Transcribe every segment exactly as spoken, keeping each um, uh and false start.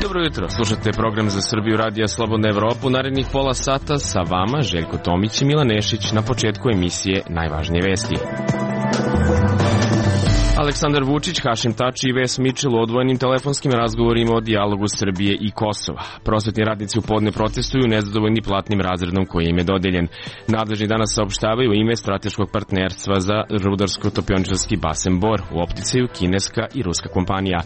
Dobro jutro, slušate program za Srbiju Radija Slobodna Evropu. Narednih pola sata sa vama Željko Tomić i Milan Nešić. Na početku emisije najvažnije vesti. Aleksandar Vučić, Hašim Tači i Ves Mičel u odvojenim telefonskim razgovorima o dijalogu Srbije i Kosova. Prosvetni radnici u podne protestuju nezadovoljni platnim razredom koji im je dodeljen. Nadležni danas saopštavaju ime strateškog partnerstva za rudarsko-topioničarski basen Bor, u opticaju kineska i ruska kompanija.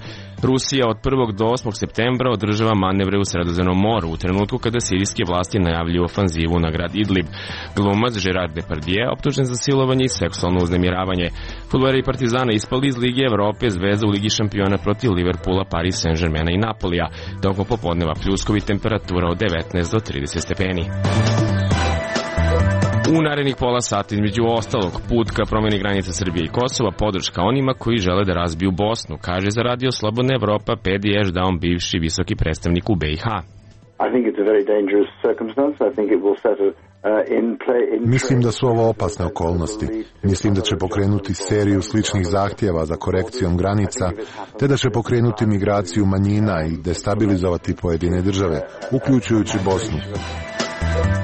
Rusija od prvog do osmog septembra održava manevre u Sredozemnom moru u trenutku kada sirijske vlasti najavljuju ofanzivu na grad Idlib. Glumac Gerard Depardieu optužen za silovanje i seksualno uznemiravanje. Fudbaleri i Partizana ispali iz Lige Evrope, Zvezda u Ligi šampiona protiv Liverpoola, Paris Saint-Germaina i Napolija. Tokom popodneva pljuskovi, temperatura od devetnaest do trideset stepeni. U narednih pola sata, između ostalog, put ka promjeni granica Srbije i Kosova, podrška onima koji žele da razbiju Bosnu, kaže za Radio Slobodna Evropa Pedi Ešdaun, bivši visoki predstavnik u B i H. Mislim da su ovo opasne okolnosti. Mislim da će pokrenuti seriju sličnih zahtjeva za korekcijom granica, te da će pokrenuti migraciju manjina i destabilizovati pojedine države, uključujući Bosnu.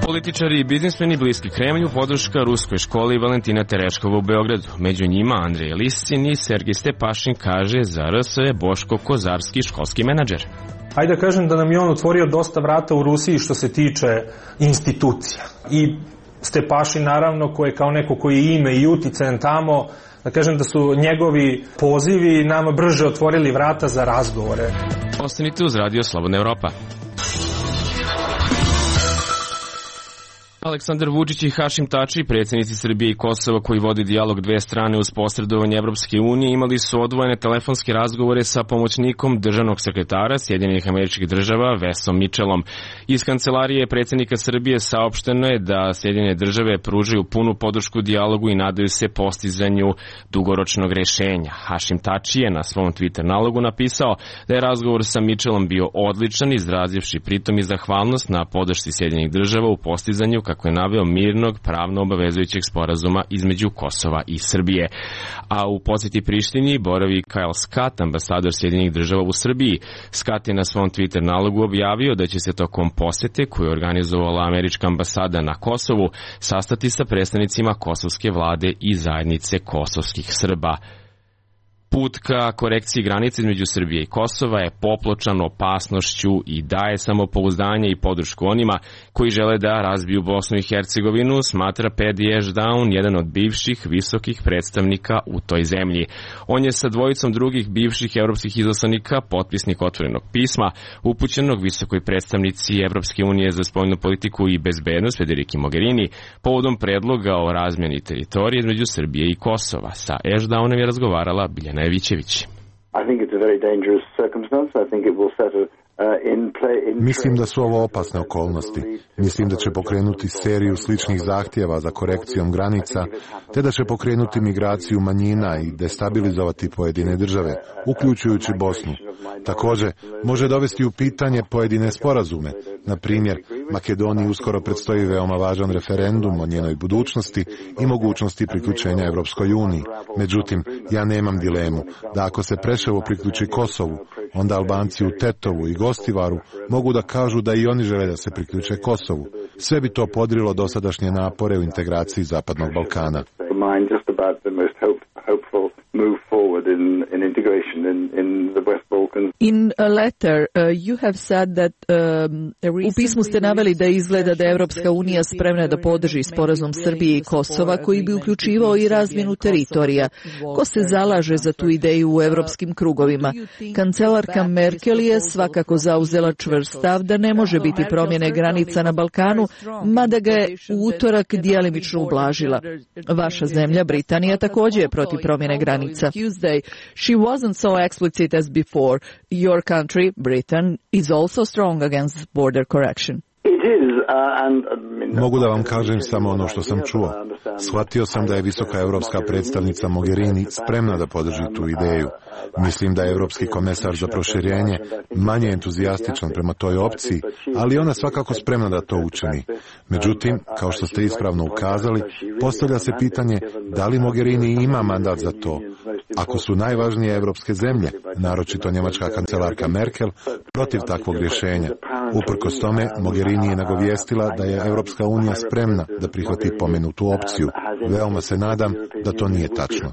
Političari i biznismeni bliski Kremlju, podrška ruskoj školi Valentina Tereškova u Beogradu. Među njima Andrej Liscin i Sergij Stepašin, kaže za R S je Boško Kozarski, školski menadžer. Hajde da kažem da nam je on otvorio dosta vrata u Rusiji što se tiče institucija. I Stepašin naravno, koji je kao neko koji je ime i uticajan tamo, da kažem da su njegovi pozivi nama brže otvorili vrata za razgovore. Ostanite uz Radio Slobodna Evropa. Aleksandar Vučić i Hašim Tači, predsjednici Srbije i Kosova koji vodi dijalog dve strane uz posredovanje Evropske unije, imali su odvojene telefonske razgovore sa pomoćnikom državnog sekretara Sjedinjenih Američkih Država Vesom Mičelom. Iz kancelarije predsjednika Srbije saopšteno je da Sjedinjene Države pružaju punu podršku dijalogu i nadaju se postizanju dugoročnog rješenja. Hašim Tači je na svom Twitter nalogu napisao da je razgovor sa Mičelom bio odličan, izrazivši pritom i zahvalnost na podršci Sjedinjenih Država u postizanju, kako je naveo, mirnog, pravno obavezujućeg sporazuma između Kosova i Srbije. A u posjeti Prištini boravi Kyle Scott, ambasador Sjedinjenih Država u Srbiji. Scott je na svom Twitter nalogu objavio da će se tokom posjete koju je organizovala američka ambasada na Kosovu sastati sa predstavnicima kosovske vlade i zajednice kosovskih Srba. Put ka korekciji granice između Srbije i Kosova je popločan opasnošću i daje samopouzdanje i podršku onima koji žele da razbiju Bosnu i Hercegovinu, smatra Pedi Ešdaun, jedan od bivših visokih predstavnika u toj zemlji. On je sa dvojicom drugih bivših evropskih izaslanika potpisnik otvorenog pisma upućenog visokoj predstavnici Evropske unije za spoljnu politiku i bezbednost Federiki Mogherini povodom predloga o razmjeni teritorije između Srbije i Kosova. Sa Ešdaunom je razgovarala Biljana Evićević. Mislim da su ovo opasne okolnosti. Mislim da će pokrenuti seriju sličnih zahtjeva za korekcijom granica, te da će pokrenuti migraciju manjina i destabilizovati pojedine države, uključujući Bosnu. Također, može dovesti u pitanje pojedine sporazume. Na primjer, Makedoniji uskoro predstoji veoma važan referendum o njenoj budućnosti i mogućnosti priključenja Evropskoj uniji. Međutim, ja nemam dilemu da ako se Preševo priključi Kosovu, onda Albanci u Tetovu i Gostivaru mogu da kažu da i oni žele da se priključe Kosovu. Sve bi to podrilo dosadašnje napore u integraciji Zapadnog Balkana. In a letter, uh, you have said that um, u pismu ste naveli da izgleda da je Evropska unija spremna da podrži sporazum Srbije i Kosova koji bi uključivao i razmjenu teritorija. Ko se zalaže za tu ideju u evropskim krugovima? Kancelarka Merkel je svakako zauzela čvrst stav da ne može biti promjene granica na Balkanu, mada ga je u utorak djelimično ublažila. Vaša zemlja, Britanija, također je protiv promjene granica. Tuesday, she wasn't so explicit as before. Your country, Britain, is also strong against border correction. Mogu da vam kažem samo ono što sam čuo. Shvatio sam da je visoka evropska predstavnica Mogherini spremna da podrži tu ideju. Mislim da je evropski komesar za proširenje manje entuzijastičan prema toj opciji, ali ona svakako spremna da to učini. Međutim, kao što ste ispravno ukazali, postavlja se pitanje da li Mogherini ima mandat za to. ako su najvažnije evropske zemlje, naročito njemačka kancelarka Merkel, protiv takvog rješenja. Uprkos tome, Mogherini je nagovijestila da je Evropska unija spremna da prihvati pomenutu opciju. Veoma se nadam da to nije tačno.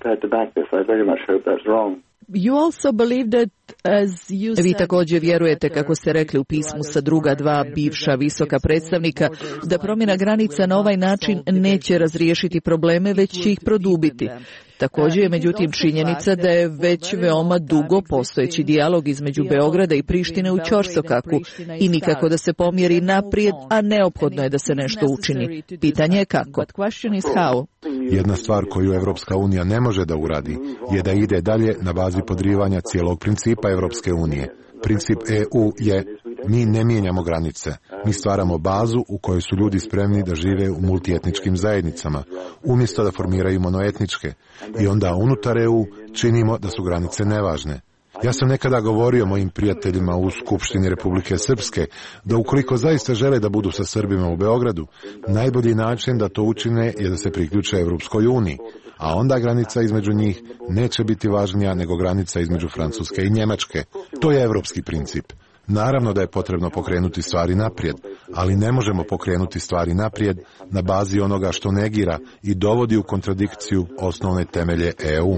You also believe that, as you said... Vi također vjerujete, kako ste rekli u pismu sa druga dva bivša visoka predstavnika, da promjena granica na ovaj način neće razriješiti probleme, već će ih produbiti. Također je međutim činjenica da je već veoma dugo postojeći dijalog između Beograda i Prištine u ćorsokaku i nikako da se pomjeri naprijed, a neophodno je da se nešto učini. Pitanje je kako. Jedna stvar koju Evropska unija ne može da uradi je da ide dalje na bazi podrivanja cijelog principa Evropske unije. Princip E U je: mi ne mijenjamo granice, mi stvaramo bazu u kojoj su ljudi spremni da žive u multietničkim zajednicama, umjesto da formiraju monoetničke, i onda unutar E U činimo da su granice nevažne. Ja sam nekada govorio mojim prijateljima u Skupštini Republike Srpske da ukoliko zaista žele da budu sa Srbima u Beogradu, najbolji način da to učine je da se priključe Evropskoj uniji, a onda granica između njih neće biti važnija nego granica između Francuske i Njemačke. To je evropski princip. Naravno da je potrebno pokrenuti stvari naprijed, ali ne možemo pokrenuti stvari naprijed na bazi onoga što negira i dovodi u kontradikciju osnovne temelje E U.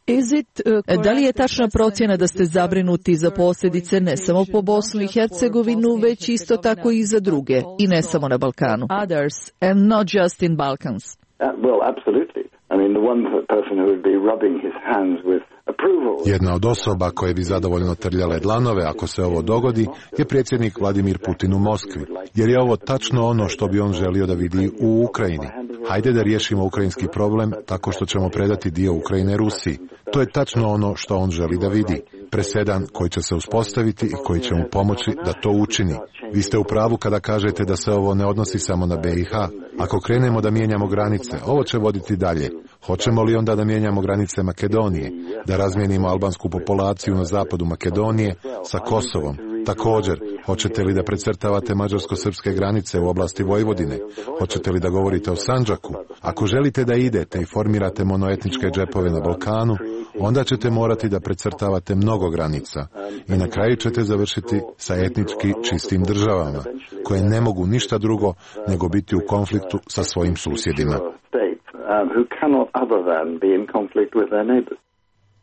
Is it, uh, da li je tačna procjena da ste zabrinuti za posljedice ne samo po Bosnu i Hercegovinu, već isto tako i za druge, i ne samo na Balkanu? Others, and not just in Balkans. Uh, well, absolutely. I mean, the one person who would be rubbing his hands with approval. Jedna od osoba koje bi zadovoljno trljale dlanove ako se ovo dogodi je predsjednik Vladimir Putin u Moskvi, jer je ovo tačno ono što bi on želio da vidi u Ukrajini. Hajde da riješimo ukrajinski problem tako što ćemo predati dio Ukrajine Rusiji. To je tačno ono što on želi da vidi. Presedan koji će se uspostaviti i koji će mu pomoći da to učini. Vi ste u pravu kada kažete da se ovo ne odnosi samo na B i H. Ako krenemo da mijenjamo granice, ovo će voditi dalje. Hoćemo li onda da mijenjamo granice Makedonije, da razmijenimo albansku populaciju na zapadu Makedonije sa Kosovom? Također, hoćete li da precrtavate mađarsko-srpske granice u oblasti Vojvodine? Hoćete li da govorite o Sandžaku? Ako želite da idete i formirate monoetničke džepove na Balkanu, onda ćete morati da precrtavate mnogo granica i na kraju ćete završiti sa etnički čistim državama, koje ne mogu ništa drugo nego biti u konfliktu sa svojim susjedima.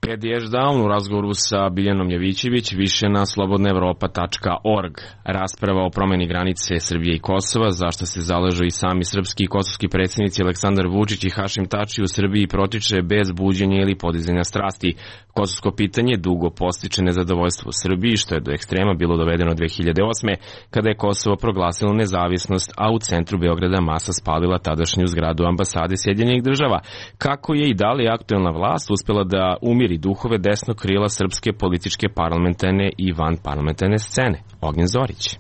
Ed Ješdaun u razgovoru sa Biljanom Javićević, više na slobodna evropa tačka org. Rasprava o promjeni granice Srbije i Kosova, zašto se zalažu i sami srpski i kosovski predsjednici Aleksandar Vučić i Hašim Tači u Srbiji, protiče bez buđenja ili podizanja strasti. Kosovsko pitanje dugo postiče nezadovoljstvo u Srbiji, što je do ekstrema bilo dovedeno dve hiljade osme. kada je Kosovo proglasilo nezavisnost, a u centru Beograda masa spalila tadašnju zgradu ambasade Sjedinjenih država. Kako je i da li aktuelna vlast uspjela da umiri duhove desnog krila srpske političke parlamentarne i vanparlamentarne scene? Ognjen Zorić.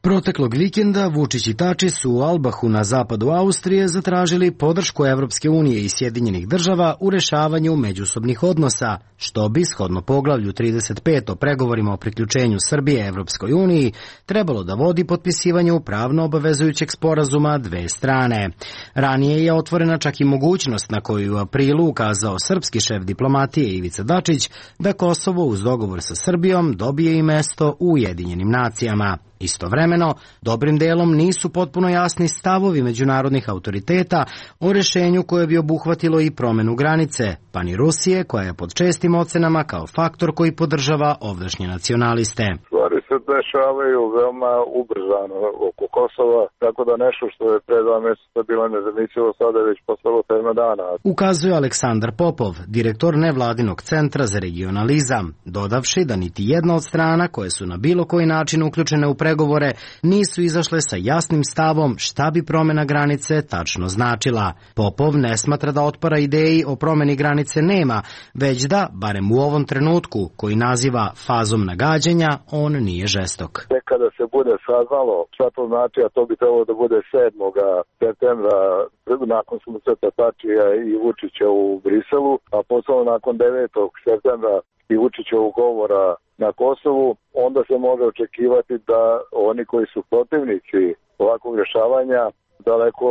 Proteklog vikenda Vučić i Tači su u Albahu na zapadu Austrije zatražili podršku Evropske unije i Sjedinjenih država u rešavanju međusobnih odnosa, što bi, shodno poglavlju trideset pet o pregovorima o priključenju Srbije Evropskoj uniji, trebalo da vodi potpisivanju pravno obavezujućeg sporazuma dve strane. Ranije je otvorena čak i mogućnost, na koju je u aprilu ukazao srpski šef diplomatije Ivica Dačić, da Kosovo uz dogovor sa Srbijom dobije i mesto u Ujedinjenim nacijama. Istovremeno, dobrim delom nisu potpuno jasni stavovi međunarodnih autoriteta o rešenju koje bi obuhvatilo i promenu granice, pa ni Rusije, koja je pod čestim ocenama kao faktor koji podržava ovdašnje nacionaliste. Stvari se dešavaju veoma ubrzano oko Kosova, tako da nešto što je pre dva mjeseca bilo nezamislivo sada je već postalo tema dana. Ukazuje Aleksandar Popov, direktor nevladinog centra za regionalizam, dodavši da niti jedna od strana koje su na bilo koji način uključene u pregovore nisu izašle sa jasnim stavom šta bi promjena granice tačno značila. Popov ne smatra da otpora ideji o promjeni granice nema, već da, barem u ovom trenutku, koji naziva fazom nagađanja, on nije žestok. Kada se bude saznalo šta to znači, a to bi trebalo da bude sedmog septembra nakon susreta Tačija i Vučića u Briselu, a posle nakon devetog septembra i Vučićevog govora na Kosovu, onda se može očekivati da oni koji su protivnici ovakvog rješavanja daleko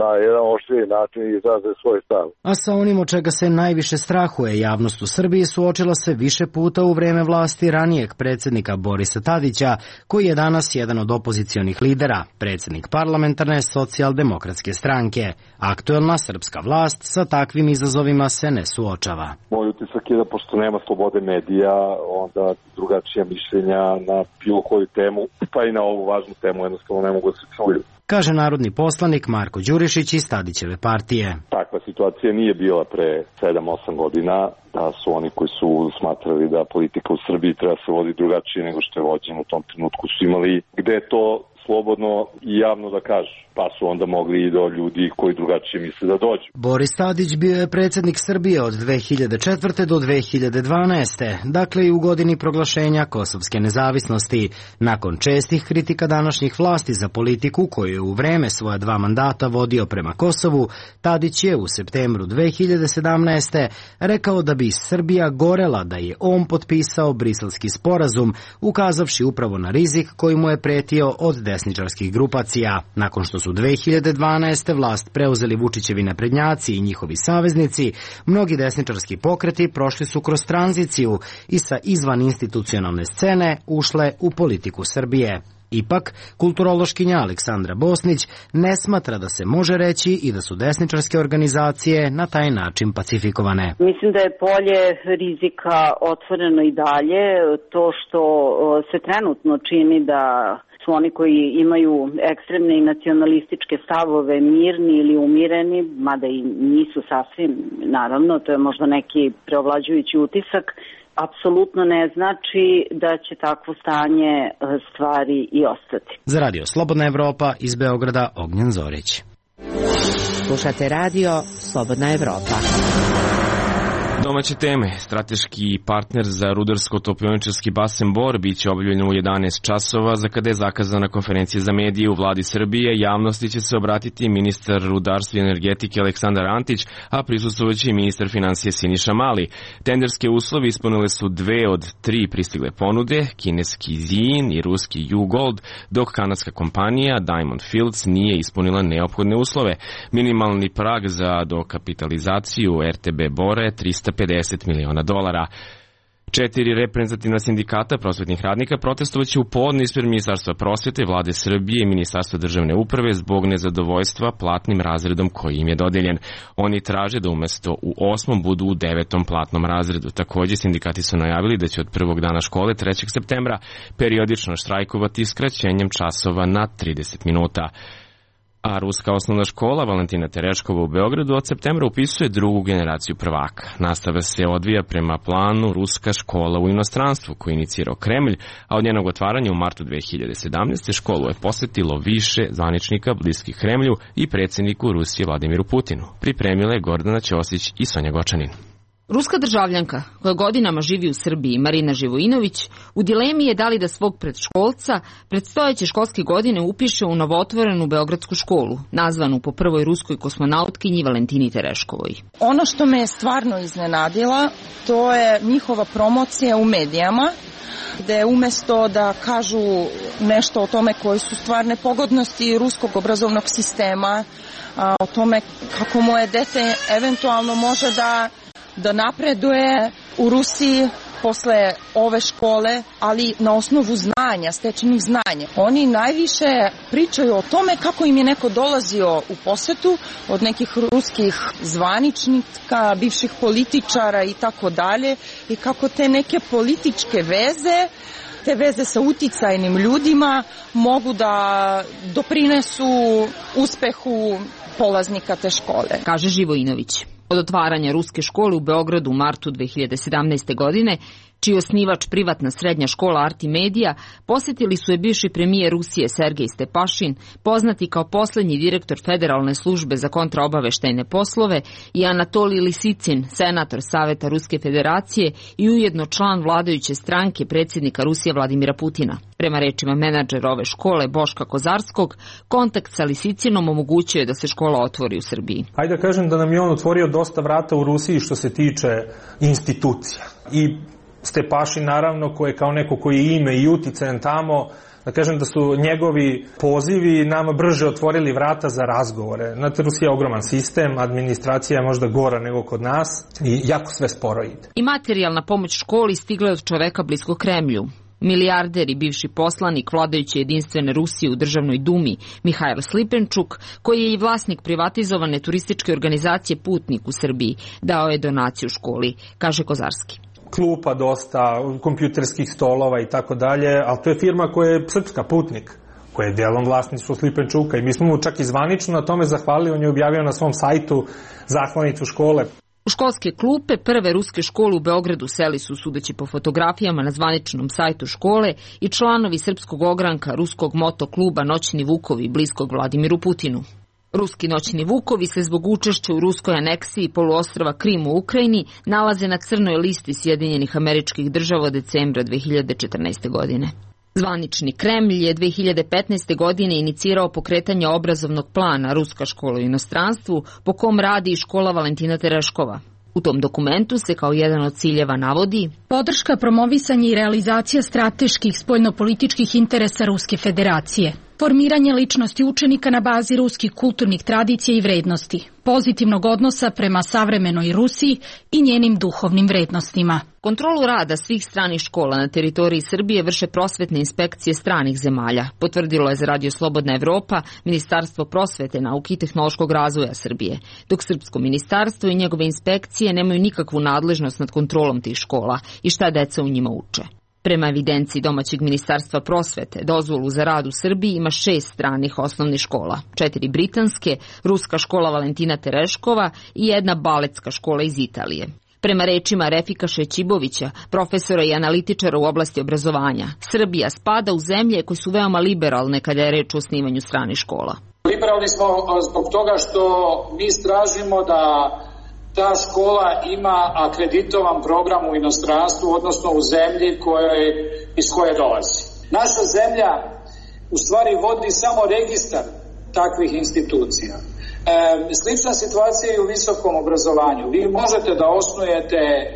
na jedan oštriji način izraze svoj stav. A sa onim od čega se najviše strahuje javnost u Srbiji suočila se više puta u vreme vlasti ranijeg predsjednika Borisa Tadića, koji je danas jedan od opozicionih lidera, predsjednik parlamentarne socijaldemokratske stranke. Aktuelna srpska vlast sa takvim izazovima se ne suočava. Moj utisak je da pošto nema slobode medija, onda drugačija mišljenja na bilo koju temu, pa i na ovu važnu temu jednostavno ne mogu da se čuju. Kaže narodni poslanik Marko Đurišić iz Tadićeve partije. Takva situacija nije bila pre sedam osam godina, da su oni koji su smatrali da politika u Srbiji treba se voditi drugačije nego što je vođeno u tom trenutku su imali gde je to slobodno i javno da kažu, pa su onda mogli i do ljudi koji drugačije misle da dođu. Boris Tadić bio je predsjednik Srbije od dve hiljade četvrte do dve hiljade dvanaeste, dakle i u godini proglašenja kosovske nezavisnosti. Nakon čestih kritika današnjih vlasti za politiku koju je u vreme svoja dva mandata vodio prema Kosovu, Tadić je u septembru dve hiljade sedamnaeste rekao da bi Srbija gorela da je on potpisao Briselski sporazum, ukazavši upravo na rizik koji mu je pretio od desničarskih grupacija. Nakon što su dve hiljade dvanaeste vlast preuzeli Vučićevi naprednjaci i njihovi saveznici, mnogi desničarski pokreti prošli su kroz tranziciju i sa izvan institucionalne scene ušle u politiku Srbije. Ipak, kulturološkinja Aleksandra Bosnić ne smatra da se može reći i da su desničarske organizacije na taj način pacifikovane. Mislim da je polje rizika otvoreno i dalje. To što se trenutno čini da su oni koji imaju ekstremne i nacionalističke stavove mirni ili umireni, mada i nisu sasvim, naravno, to je možda neki preovlađujući utisak, apsolutno ne znači da će takvo stanje stvari i ostati. Za radio Slobodna Evropa iz Beograda, Ognjen Zorić. Slušate radio Slobodna Evropa. Domaće teme. Strateški partner za rudarsko-topioničarski basen Bor biće objavljen u jedanaest časova, za kada je zakazana konferencija za medije u vladi Srbije. Javnosti će se obratiti ministar rudarstva i energetike Aleksandar Antić, a prisustvovaće i ministar finansije Siniša Mali. Tenderske uslovi ispunile su dve od tri pristigle ponude, kineski Zin i ruski U-Gold, dok kanadska kompanija Diamond Fields nije ispunila neophodne uslove. Minimalni prag za dokapitalizaciju er te be Bora je trista pedeset miliona dolara. Četiri reprezentativna sindikata prosvetnih radnika protestovaće u podne ispred Ministarstva prosvete, Vlade Srbije i Ministarstva državne uprave zbog nezadovoljstva platnim razredom koji im je dodeljen. Oni traže da umesto u osmom budu u devetom platnom razredu. Takođe, sindikati su najavili da će od prvog dana škole trećeg septembra periodično štrajkovati skraćenjem časova na trideset minuta. A ruska osnovna škola Valentina Tereškova u Beogradu od septembra upisuje drugu generaciju prvaka. Nastava se odvija prema planu Ruska škola u inostranstvu koji je inicirao Kremlj, a od njenog otvaranja u martu dve hiljade sedamnaeste. školu je posetilo više zvaničnika bliskih Kremlju i predsjedniku Rusije Vladimiru Putinu. Pripremile Gordana Ćosić i Sonja Gočanin. Ruska državljanka, koja godinama živi u Srbiji, Marina Živojinović, u dilemi je da li da svog predškolca predstojeće školske godine upiše u novootvorenu beogradsku školu, nazvanu po prvoj ruskoj kosmonautkinji Valentini Tereškovoj. Ono što me je stvarno iznenadila, to je njihova promocija u medijama, gde umesto da kažu nešto o tome koje su stvarne pogodnosti ruskog obrazovnog sistema, o tome kako moje dete eventualno može da da napreduje u Rusiji posle ove škole, ali na osnovu znanja, stečenih znanja. Oni najviše pričaju o tome kako im je neko dolazio u posetu od nekih ruskih zvaničnika, bivših političara i tako dalje, i kako te neke političke veze, te veze sa uticajnim ljudima mogu da doprinesu uspehu polaznika te škole. Kaže Živojinović. Od otvaranja ruske škole u Beogradu u martu dve hiljade sedamnaeste. godine, čiji osnivač privatna srednja škola Artimedija, posetili su je bivši premijer Rusije Sergej Stepašin, poznati kao poslednji direktor Federalne službe za kontraobaveštajne poslove, i Anatolij Lisicin, senator Saveta Ruske federacije i ujedno član vladajuće stranke predsjednika Rusije Vladimira Putina. Prema rečima menadžera ove škole Boška Kozarskog, kontakt sa Lisicinom omogućuje da se škola otvori u Srbiji. Hajde da kažem da nam je on otvorio dosta vrata u Rusiji što se tiče institucija. I Stepašin, naravno, koji je kao neko koji je ime i uticajan tamo, da kažem da su njegovi pozivi nama brže otvorili vrata za razgovore. Znate, Rusija je ogroman sistem, administracija je možda gora nego kod nas i jako sve sporo ide. I materijalna pomoć školi stigla je od čoveka blisko Kremlju. Milijarder i bivši poslanik vladajuće jedinstvene Rusije u državnoj dumi Mihajl Slipenčuk, koji je i vlasnik privatizovane turističke organizacije Putnik u Srbiji, dao je donaciju školi, kaže Kozarski. Klupa dosta, kompjuterskih stolova i tako dalje, ali to je firma koja je srpska, Putnik, koja je delom vlasništvo Slipenčuka i mi smo mu čak i zvanično na tome zahvalili, on je objavio na svom sajtu zahvalnicu škole. U školske klupe prve ruske škole u Beogradu seli su, sudeći po fotografijama na zvaničnom sajtu škole, i članovi srpskog ogranka ruskog moto kluba Noćni Vukovi bliskog Vladimiru Putinu. Ruski Noćni Vukovi se zbog učešća u ruskoj aneksiji poluostrva Krim u Ukrajini nalaze na crnoj listi Sjedinjenih Američkih Država od decembra dve hiljade četrnaeste. godine. Zvanični Kremlj je dve hiljade petnaeste. godine inicirao pokretanje obrazovnog plana Ruska škola u inostranstvu, po kom radi i škola Valentina Tereškova. U tom dokumentu se kao jedan od ciljeva navodi podrška, promovisanje i realizacija strateških spoljnopolitičkih interesa Ruske federacije, formiranje ličnosti učenika na bazi ruskih kulturnih tradicija i vrednosti, pozitivnog odnosa prema savremenoj Rusiji i njenim duhovnim vrednostima. Kontrolu rada svih stranih škola na teritoriji Srbije vrše prosvetne inspekcije stranih zemalja, potvrdilo je za Radio Slobodna Evropa Ministarstvo prosvete, nauke i tehnološkog razvoja Srbije, dok Srpsko ministarstvo i njegove inspekcije nemaju nikakvu nadležnost nad kontrolom tih škola i šta deca u njima uče. Prema evidenciji domaćeg Ministarstva prosvete, dozvolu za rad u Srbiji ima šest stranih osnovnih škola, četiri britanske, ruska škola Valentina Tereškova i jedna baletska škola iz Italije. Prema rečima Refika Šećibovića, profesora i analitičara u oblasti obrazovanja, Srbija spada u zemlje koje su veoma liberalne kada je reč o osnivanju stranih škola. Liberalni smo zbog toga što mi tražimo da ta škola ima akreditovan program u inostranstvu, odnosno u zemlji koje, iz koje dolazi. Naša zemlja u stvari vodi samo registar takvih institucija. E, slična situacija je u visokom obrazovanju. Vi možete da osnujete e,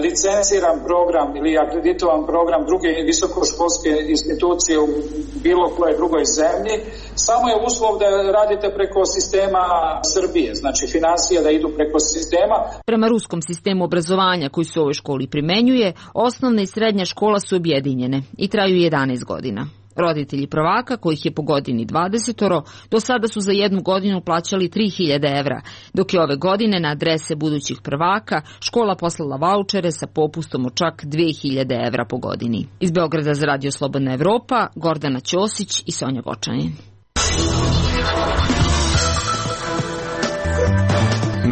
licenciran program ili akreditovan program druge visokoškolske institucije u bilo koje drugoj zemlji, samo je uslov da radite preko sistema Srbije, znači finansije da idu preko sistema. Prema ruskom sistemu obrazovanja koji se u ovoj školi primenjuje, osnovna i srednja škola su objedinjene i traju jedanaest godina. Roditelji prvaka, kojih je po godini dvadesetoro, do sada su za jednu godinu plaćali tri hiljade evra, dok je ove godine na adrese budućih prvaka škola poslala vaučere sa popustom od čak dve hiljade evra po godini. Iz Beograda za Radio Slobodna Evropa, Gordana Ćosić i Sonja Gočanin.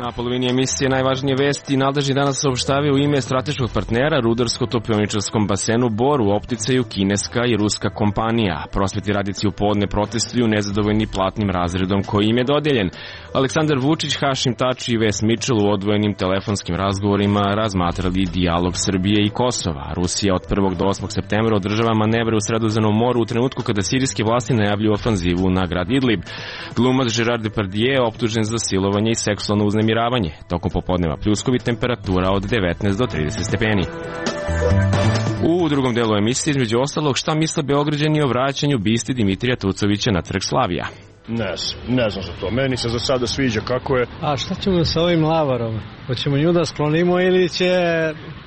Na polovini emisije najvažnije vesti nadležni danas saopštavaju u ime strateškog partnera rudarsko-topioničarskom basenu Bor u opticaju kineska i ruska kompanija. Prosvetni radnici u podne protestuju nezadovoljni platnim razredom koji im je dodeljen. Aleksandar Vučić, Hašim Tači i Ves Mitchell u odvojenim telefonskim razgovorima razmatrali dijalog Srbije i Kosova. Rusija od prvog do osmog septembra održava manevre u Sredozemnom moru u trenutku kada sirijske vlasti najavljuju ofanzivu na grad Idlib. Glumac Gerard Depardieu je optužen za silovanje i seksualno uznemiravanje. Tokom popodneva pljuskovi, temperatura od devetnaest do trideset stepeni. U drugom delu emisije, između ostalog, šta misle Beograđani o vraćanju bisti Dimitrija Tucovića na Trg Slavija? Ne, ne znam za to. Meni se za sada sviđa kako je. A šta ćemo sa ovim lavarom? Hoćemo nju da sklonimo ili će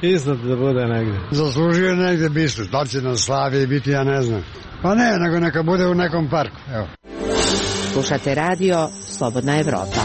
iznad da bude negde? Zaslužio negde bistu. Da li će na Slaviji biti, ja ne znam. Pa ne, nego neka bude u nekom parku. Evo. Slušate radio Slobodna Evropa.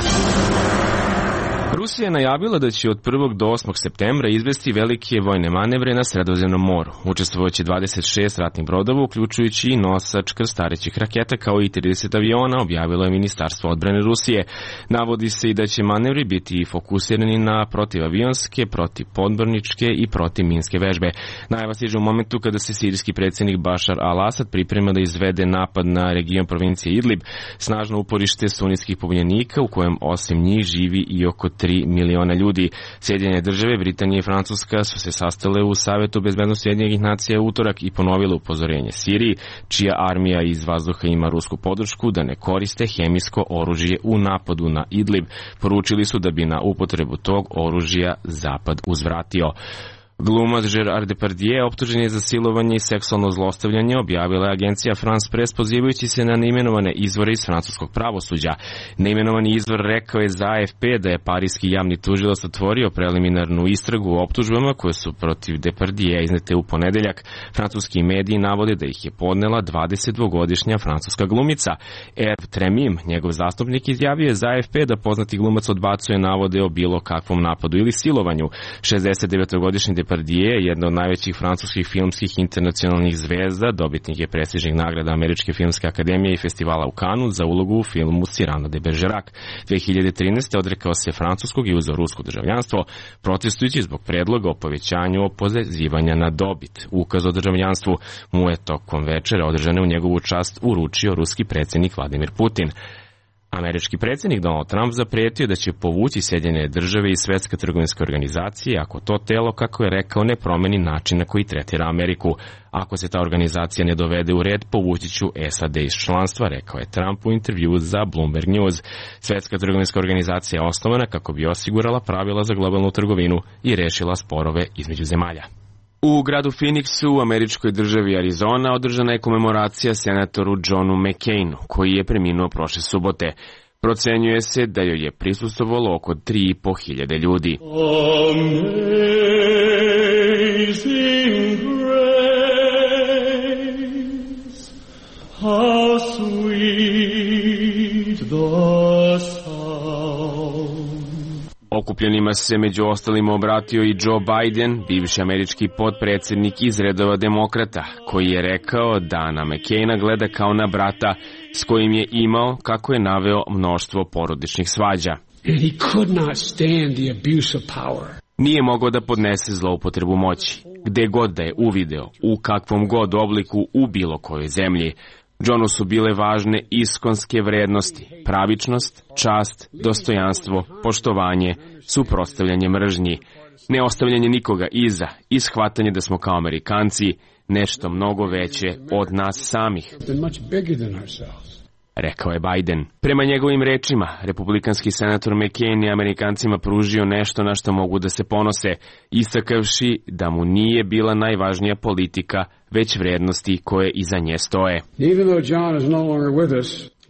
Rusija je najavila da će od prvog do osmog septembra izvesti velike vojne manevre na Sredozemnom moru. Učestvovaće dvadeset šest ratnih brodova, uključujući i nosač krstarećih raketa kao i trideset aviona, objavilo je Ministarstvo odbrane Rusije. Navodi se i da će manevri biti fokusirani na protivavionske, protivpodmorničke i protivminske vežbe. Najava stiže u momentu kada se sirijski predsjednik Bašar al-Asad priprema da izvede napad na region provincije Idlib, snažno uporište sunitskih pobunjenika u kojem osim njih živi i oko tri miliona ljudi. Sjedinjene države, Britanija i Francuska su se sastale u Savetu bezbednosti Ujedinjenih nacija u utorak i ponovile upozorenje Siriji, čija armija iz vazduha ima rusku podršku, da ne koriste hemijsko oružje u napadu na Idlib. Poručili su da bi na upotrebu tog oružja Zapad uzvratio. Glumac Gerard Depardieu optužen je za silovanje i seksualno zlostavljanje, objavila je agencija France Press pozivajući se na neimenovane izvore iz francuskog pravosuđa. Neimenovani izvor rekao je za A F P da je parijski javni tužilac otvorio preliminarnu istragu o optužbama koje su protiv Depardieu iznete u ponedeljak. Francuski mediji navode da ih je podnela dvadesetdvogodišnja francuska glumica. Hervé Tremim, njegov zastupnik, izjavio je za A F P da poznati glumac odbacuje navode o bilo kakvom napadu ili silovanju. šezdesetdevetogodišnji Depardieu je jedna od najvećih francuskih filmskih internacionalnih zvezda, dobitnik je prestižnih nagrada Američke filmske akademije i festivala u Kanu za ulogu u filmu Cyrano de Bergerac. dve hiljade trinaeste. odrekao se francuskog i uzeo rusko državljanstvo, protestujući zbog predloga o povećanju oporezivanja na dobit. Ukaz o državljanstvu mu je tokom večera održane u njegovu čast uručio ruski predsjednik Vladimir Putin. Američki predsjednik Donald Trump zapretio da će povući Sjedinjene države i Svetske trgovinske organizacije ako to telo, kako je rekao, ne promeni način na koji tretira Ameriku. Ako se ta organizacija ne dovede u red, povući ću S A D iz članstva, rekao je Trump u intervju za Bloomberg News. Svetska trgovinska organizacija je osnovana kako bi osigurala pravila za globalnu trgovinu i rešila sporove između zemalja. U gradu Phoenixu u američkoj državi Arizona održana je komemoracija senatoru Johnu McCainu, koji je preminuo prošle subote. Procenjuje se da joj je prisustvovalo oko tri i po hiljade ljudi. Amazing grace, how sweet the sound. Okupljenima se među ostalim obratio i Joe Biden, bivši američki potpredsjednik iz redova demokrata, koji je rekao da na McCaina gleda kao na brata s kojim je imao, kako je naveo, mnoštvo porodičnih svađa. And he could not stand the abuse of power. Nije mogao da podnese zloupotrebu moći, gde god da je uvideo, u kakvom god obliku, u bilo kojoj zemlji. Johnu su bile važne iskonske vrednosti, pravičnost, čast, dostojanstvo, poštovanje, suprotstavljanje mržnji, neostavljanje nikoga iza i shvatanje da smo kao Amerikanci nešto mnogo veće od nas samih, rekao je Biden. Prema njegovim rečima, republikanski senator McCain je Amerikancima pružio nešto na što mogu da se ponose, istakavši da mu nije bila najvažnija politika, već vrednosti koje iza nje stoje.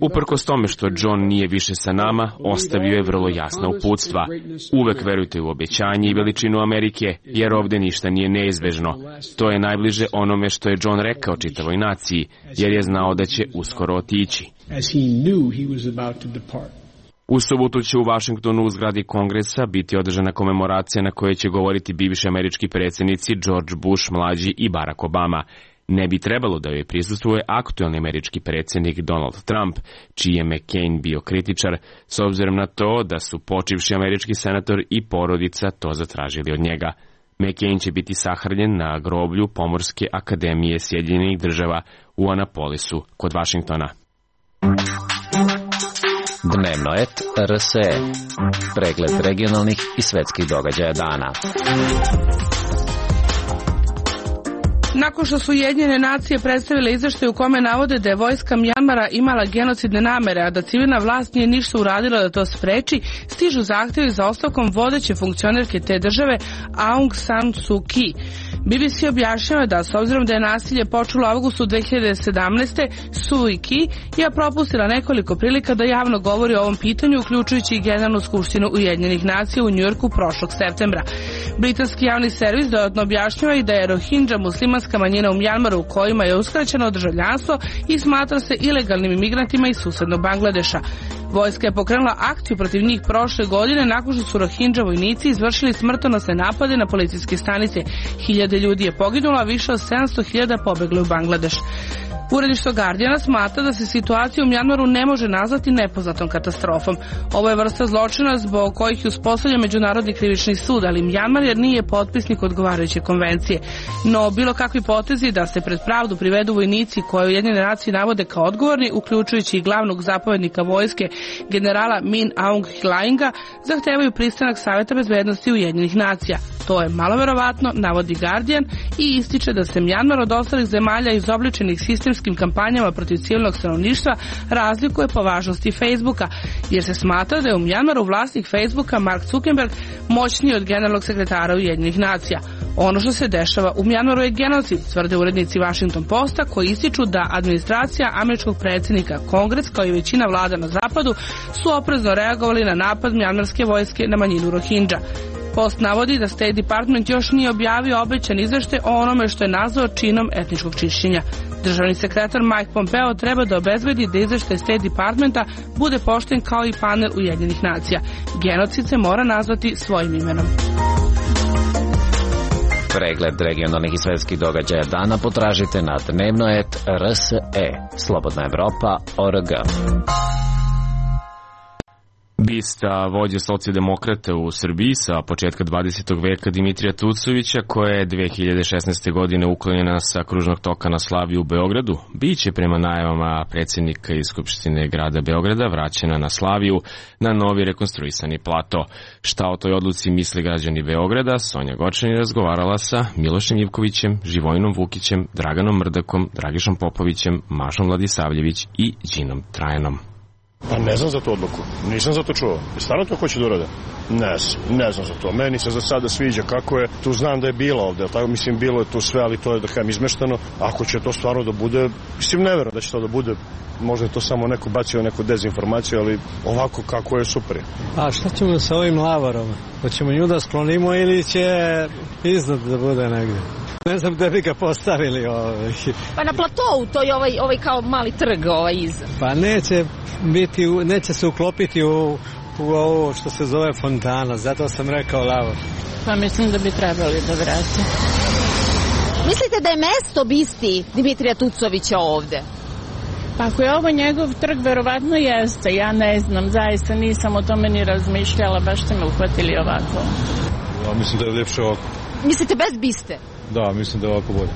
Uprkos tome što John nije više sa nama, ostavio je vrlo jasna uputstva. Uvek verujte u obećanje i veličinu Amerike, jer ovde ništa nije neizbežno. To je najbliže onome što je John rekao čitavoj naciji, jer je znao da će uskoro otići. U subotu će u Vašingtonu u zgradi Kongresa biti održana komemoracija na kojoj će govoriti bivši američki predsjednici George Bush mlađi i Barack Obama. Ne bi trebalo da joj prisustvuje aktuelni američki predsjednik Donald Trump, čiji je McCain bio kritičar, s obzirom na to da su počivši američki senator i porodica to zatražili od njega. McCain će biti sahranjen na groblju Pomorske akademije Sjedinjenih država u Anapolisu kod Vašingtona. Dnevno et R S E. Pregled regionalnih i svetskih događaja dana. Nakon što su Ujedinjene nacije predstavile izveštaj u kome navode da je vojska Mjanmara imala genocidne namere, a da civilna vlast nije ništa uradila da to spreči, stižu zahtjevi za ostavkom vodeće funkcionerke te države Aung San Suu Kyi. B B C objašnjava da, s obzirom da je nasilje počelo u avgustu dve hiljade sedamnaeste. Suu Kyi je propustila nekoliko prilika da javno govori o ovom pitanju, uključujući i Generalnu skupštinu Ujedinjenih nacija u Njujorku prošlog septembra. Britanski javni servis dodatno objašnjava i da je Rohingya muslimanska manjina u Mjanmaru, kojima je uskraćeno državljanstvo i smatra se ilegalnim imigrantima iz susednog Bangladeša. Vojska je pokrenula akciju protiv njih prošle godine nakon što su Rohingya vojnici izvršili smrtonosne napade na policijske stanice. Hiljade ljudi je poginulo, a više od sedamsto hiljada pobegli u Bangladeš. Uredništvo Guardiana smatra da se situacija u Mjanmaru ne može nazvati nepoznatom katastrofom. Ovo je vrsta zločina zbog kojih je uspostavljen Međunarodni krivični sud, ali Mjanmar jer nije potpisnik odgovarajuće konvencije. No, bilo kakvi potezi da se pred pravdu privedu vojnici koje Ujedinjene nacije navode kao odgovorni, uključujući i glavnog zapovjednika vojske generala Min Aung Hlainga, zahtevaju pristanak Saveta bezbednosti Ujedinjenih nacija. To je malo verovatno, navodi Guardian, i ističe da se Mjanmar od ostalih zemalja izobličenih sistemskih medijskim kampanjama protiv civilnog stanovništva razlikuje po važnosti Facebooka, jer se smatra da je u Mjanmaru vlasnik Facebooka Mark Zuckerberg moćniji od generalnog sekretara Ujedinjenih nacija. Ono što se dešava u Mjanmaru je genocid, tvrde urednici Washington Posta, koji ističu da administracija američkog predsjednika, Kongres kao i većina vlada na zapadu su oprezno reagovali na napad mjanmarske vojske na manjinu Rohingya. Post navodi da State Department još nije objavio obećan izveštaj o onome što je nazvao činom etničkog čišćenja. Državni sekretar Mike Pompeo treba da obezbedi da izveštaj State Departmenta bude pošten kao i panel Ujedinjenih nacija. Genocid se mora nazvati svojim imenom. Pregled regionalnih i svetskih događaja dana potražite na dnevno et r s e, slobodna evropa tačka org. Bista vođe socijaldemokrata u Srbiji sa početka dvadesetog veka Dimitrija Tucovića, koja je dve hiljade šesnaeste. godine uklonjena sa kružnog toka na Slaviji u Beogradu, biće prema najavama predsjednika iz Skupštine grada Beograda vraćena na Slaviju na novi rekonstruisani plato. Šta o toj odluci misle građani Beograda, Sonja Gočani razgovarala sa Milošem Ivkovićem, Živojinom Vukićem, Draganom Mrdakom, Dragišom Popovićem, Mašom Vladisavljević i Đinom Trajanom. Pa ne znam za tu odluku, nisam za to čuo. Stvarno to hoće da urade? Ne, ne znam za to. Meni se za sada sviđa kako je, tu znam da je bilo ovde, tako mislim bilo je tu sve, ali to je da kažem izmešteno. Ako će to stvarno da bude, mislim ne verujem da će to da bude, možda je to samo neko bacio neku dezinformaciju, ali ovako kako je super. A šta ćemo sa ovim lavarom? Hoćemo nju da sklonimo ili će iznad da bude negde? Ne znam gde bi ga postavili. Ovaj. Pa na platovu, to je ovaj, ovaj kao mali trg ovaj iza. Pa neće biti, neće se uklopiti u, u ovo što se zove fontana, zato sam rekao lavor. Pa mislim da bi trebali da vrati. Mislite da je mesto bisti Dimitrija Tucovića ovde? Pa ako je ovo njegov trg, verovatno jeste. Ja ne znam, zaista nisam o tome ni razmišljala, baš ste me uhvatili ovako. Ja mislim da je ljepše ovako. Mislite bez biste? Da, mislim da je ovako bolje.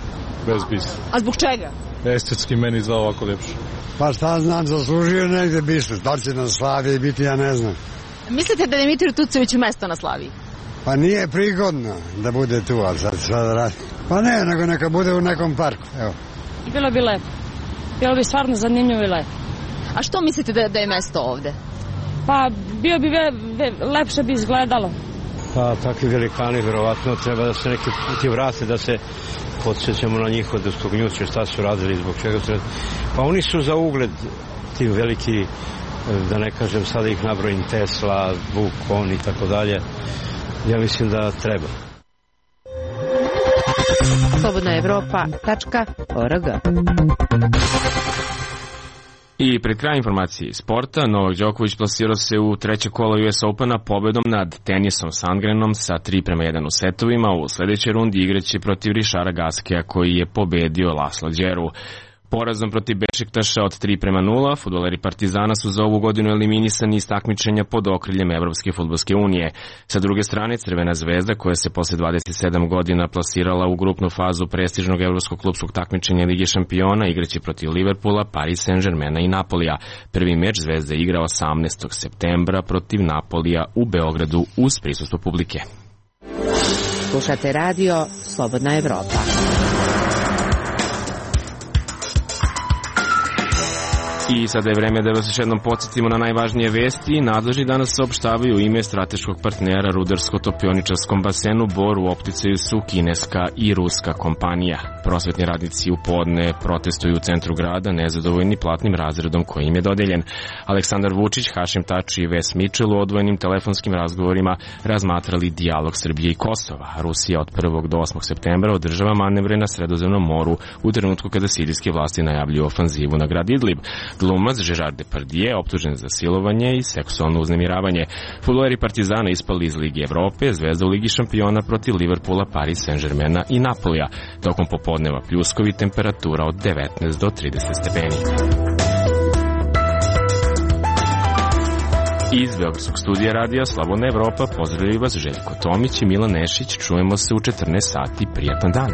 Bez biste. A zbog čega? Estetski meni izgleda ovako ljepše. Pa šta znam, zaslužio negde bistu. Da li će na Slaviji biti, ja ne znam. Mislite da je Dimitriju Tucoviću mesto na Slaviji? Pa nije prigodno da bude tu, ali sad šta da radi. Pa ne, nego neka bude u nekom parku, evo. Bilo bi lepo. Bilo bi stvarno zanimljivo i lepo. A što mislite da, da je mesto ovde? Pa bio bi ve, ve, lepše bi izgledalo. Pa takvi velikani verovatno treba da se neki puti vrate, da se podsjećamo na njihove dostognjuće, šta su radili, zbog čega su... Pa oni su za ugled ti veliki, da ne kažem sada ih nabrojim, Tesla, Vukon i tako dalje. Ja mislim da treba. slobodna evropa tačka org. I pred kraj informacije iz sporta, Novak Đoković plasirao se u treće kolo U S Opena pobedom nad Tenisom Sandgrenom sa tri prema jedan u setovima. U sledećoj rundi igraće protiv Rišara Gaskeja koji je pobedio Laslo Đeru. Porazom protiv Bešiktaša od tri prema nula, fudbaleri Partizana su za ovu godinu eliminisani iz takmičenja pod okriljem Evropske fudbalske unije. Sa druge strane, Crvena zvezda, koja se posle dvadeset sedam godina plasirala u grupnu fazu prestižnog evropskog klupskog takmičenja Lige šampiona, igraće protiv Liverpoola, Paris Saint-Germaina i Napolija. Prvi meč Zvezda igra osamnaestog septembra protiv Napolija u Beogradu uz prisustvo publike. Slušate radio Slobodna Evropa. I sada je vreme da vas još jednom podsjetimo na najvažnije vesti. Nadležni danas saopštavaju ime strateškog partnera rudarsko-topioničarskom basenu Bor u opticaju su kineska i ruska kompanija. Prosvetni radnici u podne protestuju u centru grada nezadovoljni platnim razredom koji im je dodeljen. Aleksandar Vučić, Hašim Tači i Ves Mičel u odvojenim telefonskim razgovorima razmatrali dijalog Srbije i Kosova. Rusija od prvog do osmog septembra održava manevre na Sredozemnom moru u trenutku kada sirijske vlasti najavljuju ofanzivu na grad Idlib. Glumac Gerard Depardieu optužen za silovanje i seksualno uznemiravanje. Fudbaleri Partizana ispali iz Lige Evrope, Zvezda u Ligi šampiona protiv Liverpoola, Paris Saint-Germaina i Napolija. Tokom popodneva pljuskovi, temperatura od devetnaest do trideset stepeni. Iz Beogradskog studija radija Slobodna Evropa pozdravljaju vas Željko Tomić i Milan Nešić. Čujemo se u četrnaest sati. Prijatan dan.